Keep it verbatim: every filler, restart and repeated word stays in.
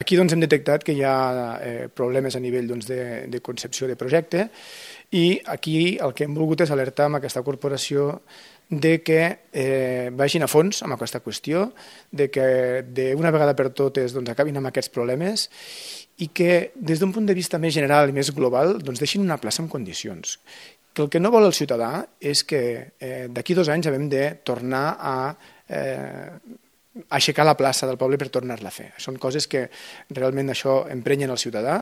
aquí doncs, hem detectat que hi ha eh, problemes a nivell doncs, de, de concepció de projecte i aquí el que hem volgut és alertar amb aquesta corporació de que eh, vagin a fons amb aquesta qüestió, de que d'una vegada per totes doncs, acabin amb aquests problemes i que des d'un punt de vista més general i més global doncs, deixin una plaça en condicions. Que el que no vol el ciutadà és que eh, d'aquí dos anys haguem de tornar a eh, aixecar la plaça del poble per tornar-la a fer. Són coses que realment això emprenyen el ciutadà.